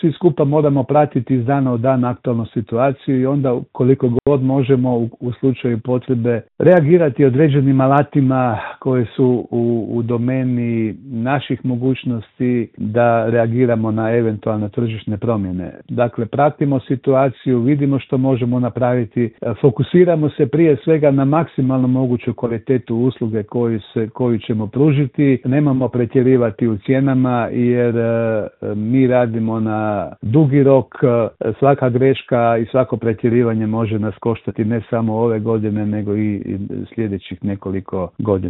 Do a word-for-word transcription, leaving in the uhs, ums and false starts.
svi skupa moramo pratiti iz dana u dan aktualnu situaciju i onda koliko god možemo u, u slučaju potrebe reagirati određenim alatima koji su u, u domeni naših mogućnosti da reagiramo na eventualne tržišne promjene. Dakle, pratimo situaciju, vidimo što možemo napraviti, fokusiramo se prije svega na maksimalno moguću kvalitetu usluge koju, se, koju ćemo pružiti. Nemamo pretjerivati u cijenama jer e, mi radimo na dugi rok. Svaka greška i svako pretjerivanje može nas koštati ne samo ove godine nego i, i sljedećih nekoliko godina.